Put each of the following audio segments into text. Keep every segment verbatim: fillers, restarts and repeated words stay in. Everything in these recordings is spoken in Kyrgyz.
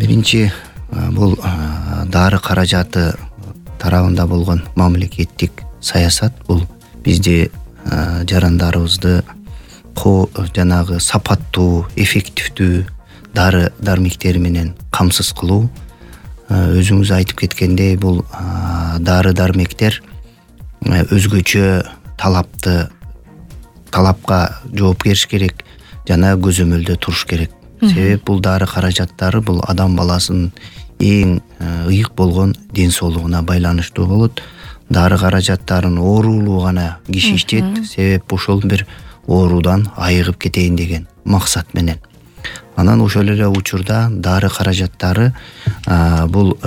биринчи бул дары каражаты тарабында болгон мамлекеттик саясат. Бул бизди жарандарыбызды жанагы сапаттуу, эффективдүү дары дармектери менен камсыз кылуу. Өзүңүз айтып кеткендей, бул дары дармектер өзгөчө талапты талапка жооп бериш керек жана көзөмөлдө туруш керек. Себеп бул дары каражаттары бул адам баласынын эң ыйык болгон ден соолугуна байланыштуу болот. Дары каражаттарын оорулуу гана киши иштейт. Себеп ошол бир оорудан айыгып кетейин деген максат менен. Анан ошол эле учурда дары каражаттары бул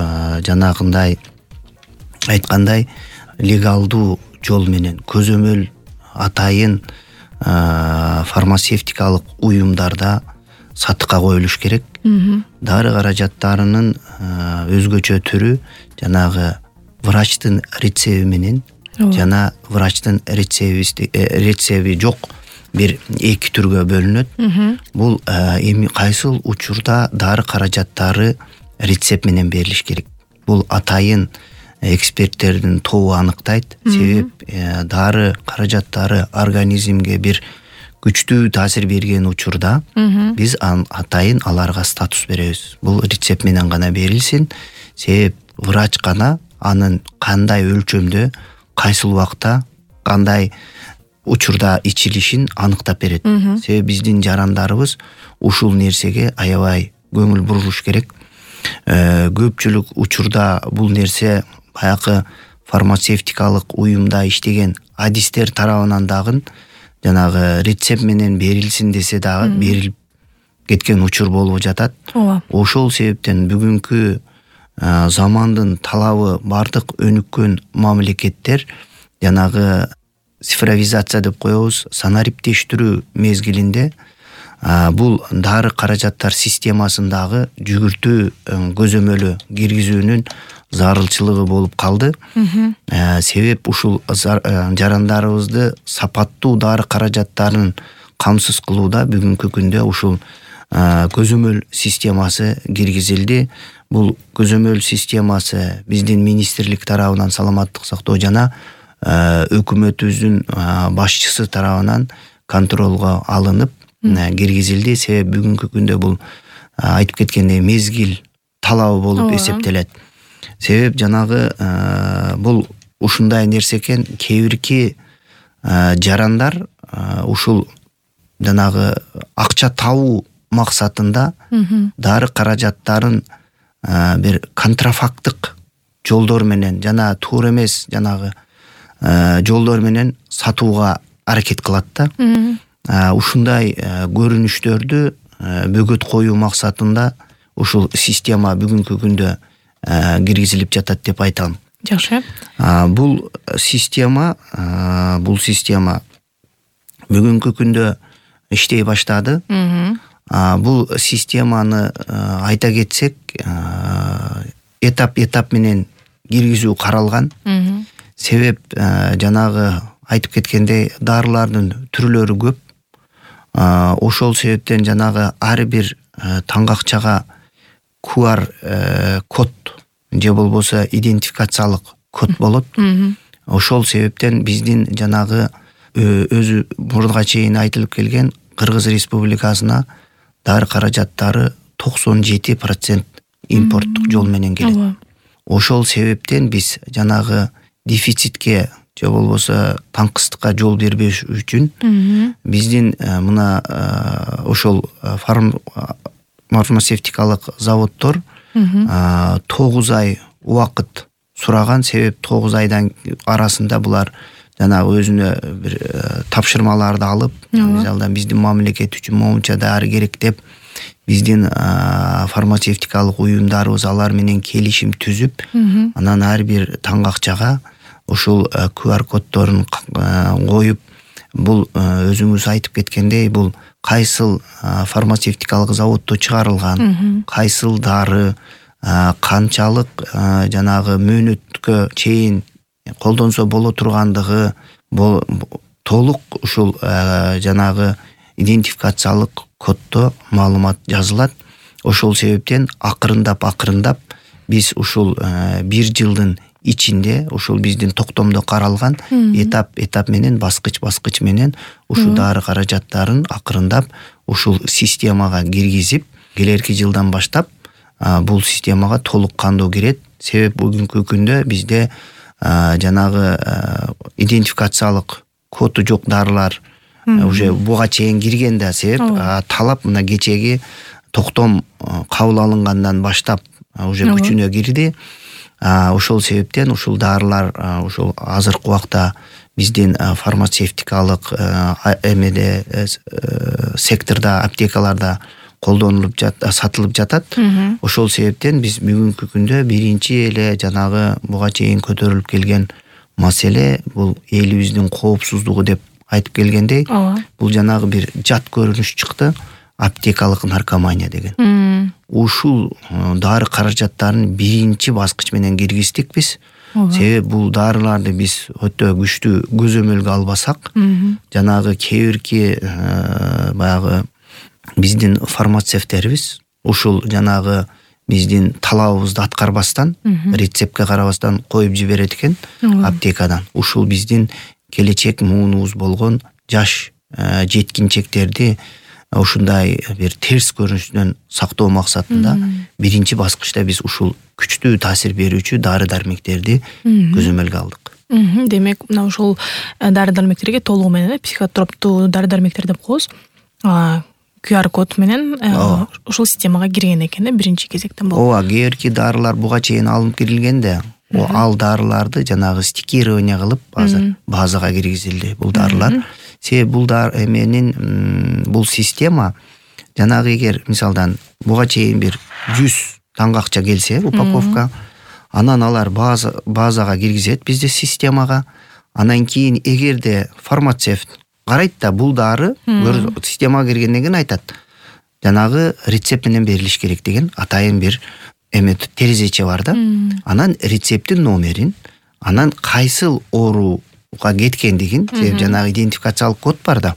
жанагындай айткандай легалдуу жол менен көзөмөл атайын фармацевтикалык уюмдарда сатыкка коюлуш керек. Дары каражаттарынын өзгөчө түрү жанагы врачтын рецеби менен жана врачтын рецеби жок бир эки түргө бөлүнөт. Бул эми кайсыл учурда дары каражаттары рецепт менен берилиш керек. Бул атайын эксперттердин тобу аныктайт. Себеп дары каражаттары организмге бир күчтүү таасир берген учурда биз атайын аларга статус беребиз. Бул рецепт менен гана берилсин. Себеп врач гана анын кандай өлчөмдө, кайсыл убакта, кандай учурда ичилишин аныктап берет. Себеп биздин жарандарыбыз ушул нерсеге аябай көңүл буруш керек. Көпчүлүк учурда бул нерсе баягы фармацевтикалык уюмда иштеген адистер тарабынан дагы жанагы рецепт менен берилсин десе дагы берилип кеткен учур болуп жатат. Ошол себептен бүгүнкү замандын талабы бардык өнүккөн мамлекеттер жанагы цифровизация деп коебуз, санариптештирүү мезгилинде бул дары каражаттар системасындагы жүгүртүү көзөмөлү киргизүүнүн зарылчылыгы болуп калды. Себеп ушул жарандарыбызды сапаттуу дары каражаттарын камсыз кылууда бүгүнкү күндө ушул көзөмөл системасы киргизилди. Бул көзөмөл системасы биздин министрлик тарабынан, саламаттык сактоо жана өкмөтүбүздүн башчысы тарабынан контролго алынып киргизилди. Себеп бүгүнкү күндө бул айтып кеткендей мезгил талабы болуп эсептелет. Себеп жанагы бул ушундай нерсе экен, кээ бирки жарандар ушул жанагы акча табуу максатында дары каражаттарын бир контрафакттык жолдор менен жана туура эмес жанагы жолдор менен сатууга аракет кылат да. Ушундай көрүнүштөрдү бөгөт коюу максатында ушул система бүгүнкү күндө киргизилип жатат деп айтам. Жакшы. Бул система, бул система бүгүнкү күндө иштей баштады. Бул системаны айта кетсек, этап-этап менен киргизүү каралган. Себеп жанагы айтып кеткендей дарылардын түрлөрү көп. Ошол себептен жанагы ар бир таңгакчага ку ар код же болбосо идентификациялык код болот. Ошол себептен биздин жанагы өзү мурга чейин айтылып келген Кыргыз Республикасына дары каражаттары токсон жети процент импорттук жол менен келет. Ошол себептен биз жанагы дефицитке же болбосо таңкыстыкка жол бербеш үчүн биздин мына ошол фармацевтикалык заводдор тогуз ай убакыт сураган. Себеп тогуз айдан арасында булар жанагы өзүнө бир тапшырмаларды алып, мисалдан биздин мамлекет үчүн моунча дары керек деп биздин фармацевтикалык уюмдарыбыз алар менен келишим түзүп, анан ар бир таңгакчага ушул ку ар коддорун коюп, бул өзүңүз айтып кеткендей, бул кайсыл фармацевтикалык заводдо чыгарылган, кайсыл дары, канчалык жанагы мөөнөткө чейин колдонсо боло тургандыгы толук ушул жанагы идентификациялык коддо маалымат жазылат. Ошол себептен акырындап акырындап биз ушул бир жылдын ичинде ушул биздин токтомдо каралган этап этап менен баскыч баскыч менен ушул дары каражаттарын акырындап ушул системага киргизип, келерки жылдан баштап бул системага толук кандуу кирет. Себеп бүгүнкү күндө бизде жанагы идентификациялык коду жок дарылар уже буга чейин кирген да. Себеп талап мына кечеги токтом кабыл алынгандан баштап уже күчүнө кирди. Ошол себептен ушул дарылар ушул азыркы убакта биздин фармацевтикалык эмеде секторда, аптекаларда колдонулуп жат, сатылып жатат. Ошол себептен биз бүгүнкү күндө биринчи эле жанагы буга чейин көтөрүлүп келген маселе бул элибиздин коопсуздугу деп айтып келгендей, бул жанагы бир жат көрүнүш чыкты, аптекалык наркомания деген. Ушул дары каражаттарын биринчи баскыч менен киргиздик биз. Себеп бул дарыларды биз өтө күчтүү көзөмөлгө албасак, жанагы кээ бирки баягы биздин фармацевттерибиз ушул жанагы биздин талабыбызды аткарбастан, рецептке карабастан коюп жиберет экен аптекадан. Ушул биздин келечек муунубуз болгон жаш жеткинчектерди ушундай бир терс көрүнүштөн сактоо максатында биринчи баскычта биз ушул күчтүү таасир берүүчү дары дармектерди көзөмөлгө алдык. Демек, мына ушул дары дармектерге толугу менен психотроптуу дары дармектер деп коебуз. ку ар код менен ушул системага кирген экен да биринчи кезектен болуп. Ооба, кээ бирки дарылар буга чейин алынып кирилгенде, ал дарыларды жанагы стикирование кылып азыр базага киргизилди бул дарылар. Себеп бул дар эменин бул система жанагы эгер мисалдан буга чейин бир жүз таңгакча келсе упаковка, анан алар база базага киргизет бизде системага. Анан кийин эгерде фармацевт карайт да бул дары системага киргенден кийин айтат, жанагы рецепт менен берилиш керек деген атайын бир эме терезече бар да. Анан рецепттин номерин, анан кайсыл ооруга кеткендигин, себеп жанагы идентификациялык код бар да.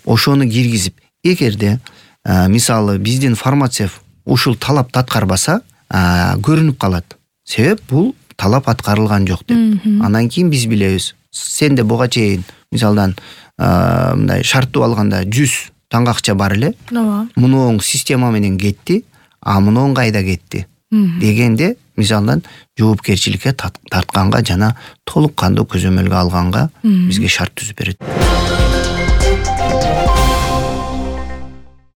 Ошону киргизип, эгерде мисалы биздин фармацевт ушул талапты аткарбаса, көрүнүп калат. Себеп бул талап аткарылган жок деп. Анан кийин биз билебиз, сенде буга чейин мисалдан мындай шарттуу алганда жүз таңгакча бар эле. Муну система менен кетти, а муну кайда кетти дегенде мисалдан жоопкерчиликке тартканга жана толук кандуу көзөмөлгө алганга бизге шарт түзүп берет.